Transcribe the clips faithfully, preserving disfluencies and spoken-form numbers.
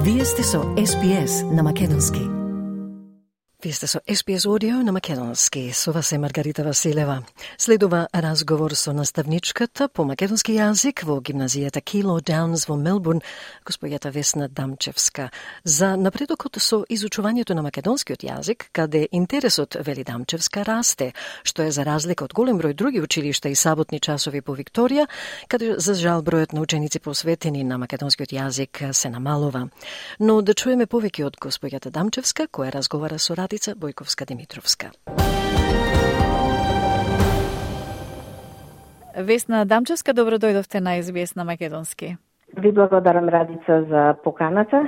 Вие сте со Ес Би Ес на Македонски. Вие сте со Ес Би Ес Audio на Македонски. Со вас е Маргарита Василева. Следува разговор со наставничката по македонски јазик во гимназијата Кило Даунс во Мелбурн, госпоѓата Весна Дамчевска, за напредокот со изучувањето на македонскиот јазик, каде интересот, вели Дамчевска, расте, што е за разлика од голем број други училишта и саботни часови по Викторија, каде за жал бројот на ученици посветени на македонскиот јазик се намалува. Но да чуеме повеќе од госпоѓата Дамчевска, која разговара со Радица Бојковска-Димитровска. Весна Дамчевска, добро дојдовте на Ес Би Ес на Македонски. Ви благодарам, Радица, за поканата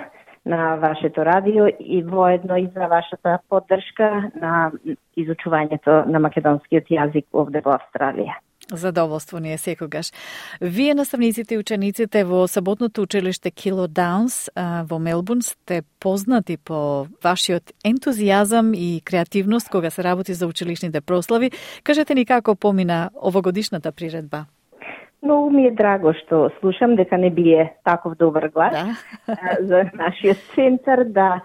на вашето радио и воедно и за вашата поддршка на изучувањето на македонскиот јазик овде во Австралија. Задоволство ни е секогаш. Вие, наставниците и учениците во саботното училиште Кило Даунс во Мелбурн, сте познати по вашиот ентузијазам и креативност кога се работи за училишните прослави. Кажете ни како помина овогодишната приредба? Многу ми е драго што слушам дека не бие таков добар глас да. за нашиот центар. Да,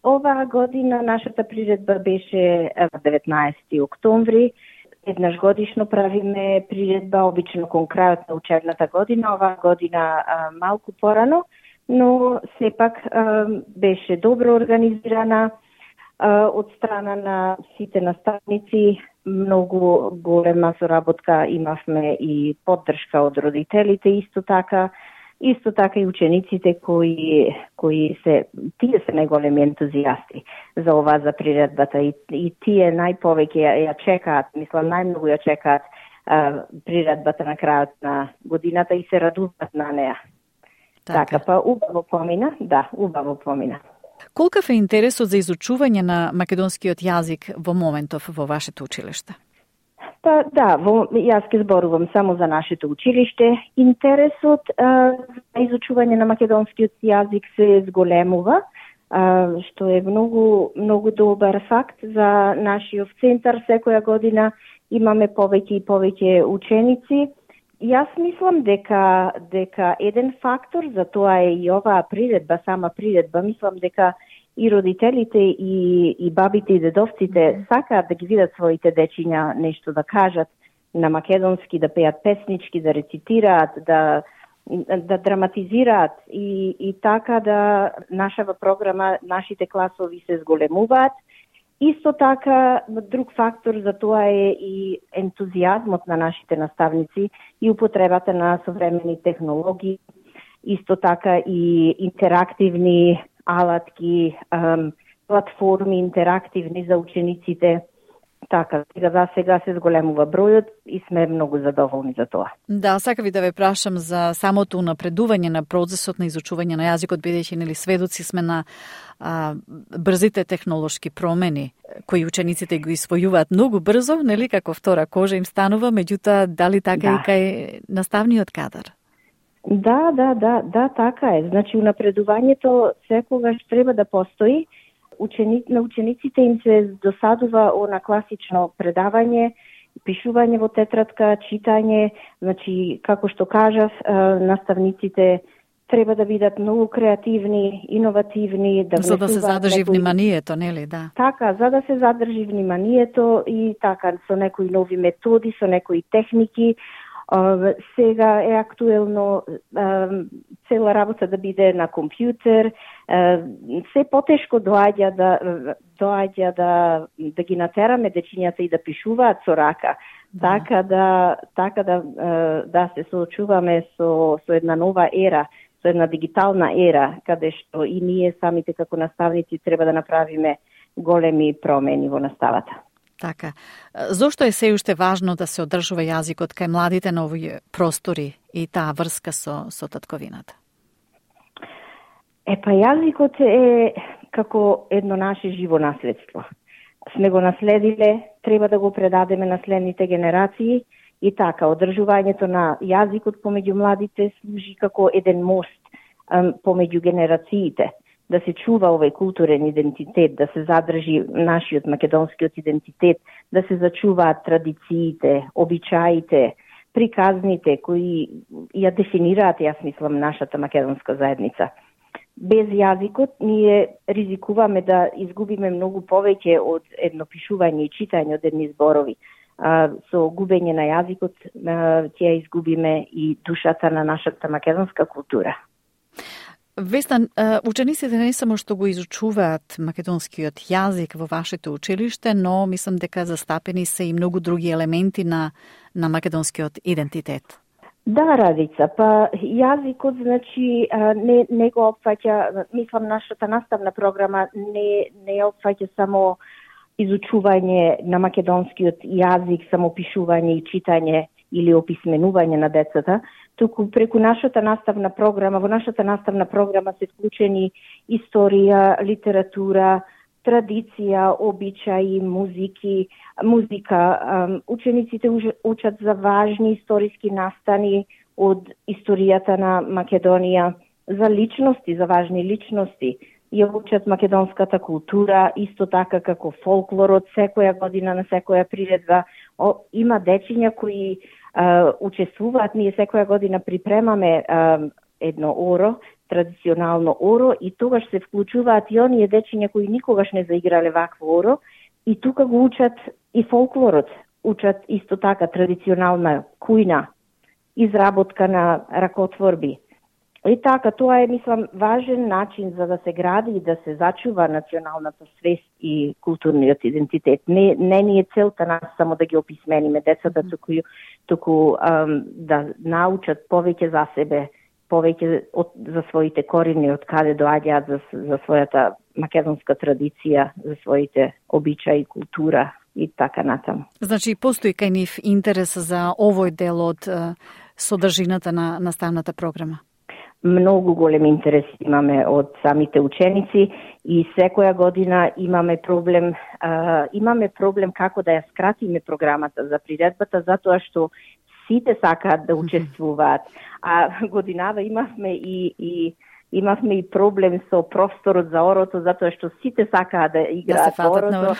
оваа година нашата приредба беше деветнаесети октомври. Еднаш годишно правиме приредба, обично кон крајот на учебната година, оваа година а, малку порано, но сепак а, беше добро организирана а, од страна на сите наставници. Многу голема соработка имавме и поддршка од родителите, исто така, исто така и учениците кои кои се тие се најголеми ентузијасти за ова, за приредбата, и, и тие најповеќе ја, ја чекаат, мислам најмногу ја чекаат а, приредбата на крајот на годината и се радуваат на неа. Така, така па убаво помина, да, убаво помина. Колкав е интересот за изучување на македонскиот јазик во моментов во вашето училиште? Па да, во, јас ке зборувам само за нашето училиште. Интересот а, за изучување на македонскиот јазик се зголемува, а, што е многу многу добар факт за нашиот центар. Секоја година имаме повеќе и повеќе ученици. Јас мислам дека дека еден фактор за тоа е и оваа приредба, сама приредба. Мислам дека и родителите и, и бабите и дедовците сакаат да ги видат своите дечиња нешто да кажат на македонски, да пеат песнички, да рецитираат, да да драматизираат и, и така да нашава програма, нашите класови се зголемуваат. Исто така, друг фактор за тоа е и ентузијазмот на нашите наставници и употребата на современи технологии, исто така и интерактивни алатки, ем, платформи интерактивни за учениците. Така, сега за сега се зголемува бројот и сме многу задоволни за тоа. Да, сака ви да ве прашам за самото унапредување на процесот на изучување на јазикот, бидејќи нели сведоци сме на а, брзите технолошки промени кои учениците ги усвојуваат многу брзо, нели како втора кожа им станува, меѓутоа дали така да. И кај наставниот кадар? Да, да, да, да, така е. Значи, унапредувањето секогаш треба да постои. Учени, на учениците им се досадува она класично предавање, пишување во тетрадка, читање. Значи, како што кажав, наставниците треба да бидат многу креативни, иновативни, да за да се задржи некои... вниманието, нели, да. Така, за да се задржи вниманието и така со некои нови методи, со некои техники. Uh, сега е актуелно uh, цела работа да биде на компјутер. Uh, се потешко доаѓа да доаѓа да да ги натераме дечињата и да пишуваат со рака. Да. Така да така да uh, да се соочуваме со со една нова ера, со една дигитална ера, каде што и ние самите како наставници треба да направиме големи промени во наставата. Така. Зошто е се уште важно да се одржува јазикот кај младите на овие простори и таа врска со, со татковината? Е, па јазикот е како едно наше живо наследство. Сме го наследиле, треба да го предадеме на следните генерации и така, одржувањето на јазикот помеѓу младите служи како еден мост ем, помеѓу генерациите. Да се чува овој културен идентитет, да се задржи нашиот македонскиот идентитет, да се зачуваат традициите, обичаите, приказните кои ја дефинираат, јас мислам, нашата македонска заедница. Без јазикот ние ризикуваме да изгубиме многу повеќе од едно пишување и читање од едни зборови. А, со губење на јазикот ќе ја изгубиме и душата на нашата македонска култура. Весна, учениците не само што го изучуваат македонскиот јазик во вашето училиште, но мислам дека застапени се и многу други елементи на, на македонскиот идентитет. Да, Радица, па јазикот, значи, не, не го опфаќа, мислам, нашата наставна програма не, не опфаќа само изучување на македонскиот јазик, само пишување и читање или описменување на децата, туку преку нашата наставна програма, во нашата наставна програма се вклучени историја, литература, традиција, обичаи, музики, музика. Учениците учат за важни историски настани од историјата на Македонија, за личности, за важни личности. Ја учат македонската култура, исто така како фолклорот, секоја година на секоја приредба. О, има дечиња кои а, учествуваат, ние секоја година припремаме а, едно оро, традиционално оро, и тогаш се вклучуваат и оние дечиња кои никогаш не заиграле вакво оро, и тука го учат и фолклорот, учат исто така традиционална кујна, изработка на ракотворби. И така, тоа е, мислам, важен начин за да се гради и да се зачува националната свест и културниот идентитет. Не, не ни е целта нас само да ги описмениме децата, туку, туку ам, да научат повеќе за себе, повеќе од, за своите корени, од каде доаѓаат, за, за својата македонска традиција, за своите обичаи, култура и така натаму. Значи, постои кај нив интерес за овој дел од содржината на наставната програма? Многу голем интерес имаме од самите ученици и секоја година имаме проблем, а, имаме проблем како да ја скратиме програмата за приредбата, затоа што сите сакаат да учествуваат. А годинава имавме и, и имавме и проблем со просторот за орото, затоа што сите сакаат да играат да орото,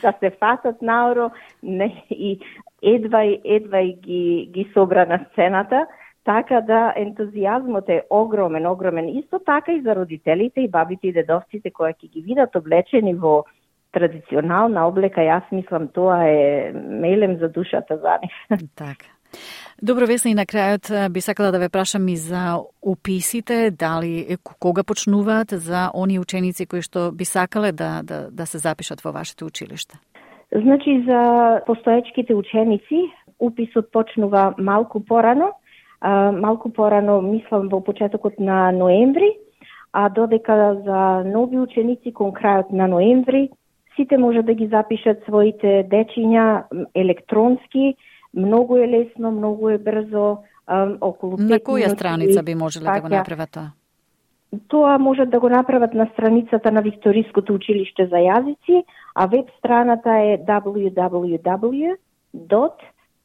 да се фатат на оро, не, и едва едва ги ги собра на сцената. Така да ентузијазмот е огромен, огромен. Исто така и за родителите и бабите и дедовците кои ќе ги видат облечени во традиционална облека, јас мислам тоа е мелем за душата за нив. Така. Добро, Весна, и на крајот би сакала да ве прашам и за уписите, дали кога почнуваат за оние ученици кои што би сакале да, да, да се запишат во вашето училиште? Значи, за постоечките ученици уписот почнува малку порано, Uh, малку порано, мислам, во почетокот на ноември, а додека за нови ученици кон крајот на ноември, сите може да ги запишат своите дечиња електронски, многу е лесно, многу е брзо, um, околу пет На која минути, страница би можеле да го направат тоа? Тоа можат да го направат на страницата на Викториското училиште за јазици, а веб страната е дабл ю дабл ю дабл ю dot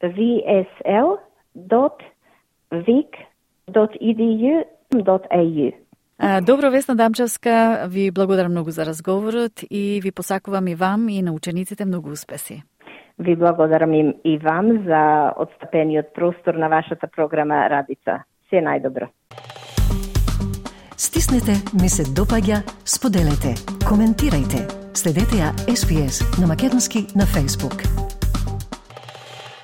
ви ес ел dot vic dot e d u dot a u. Добро, Весна Дамчевска, ви благодарам многу за разговорот и ви посакувам и вам и на учениците многу успеси. Ви благодарам и, и вам за отстапениот простор на вашата програма Радица. Се најдобро. Стиснете, ми се допаѓа, споделете, коментирајте. Следете ја Ес Би Ес на македонски на Facebook.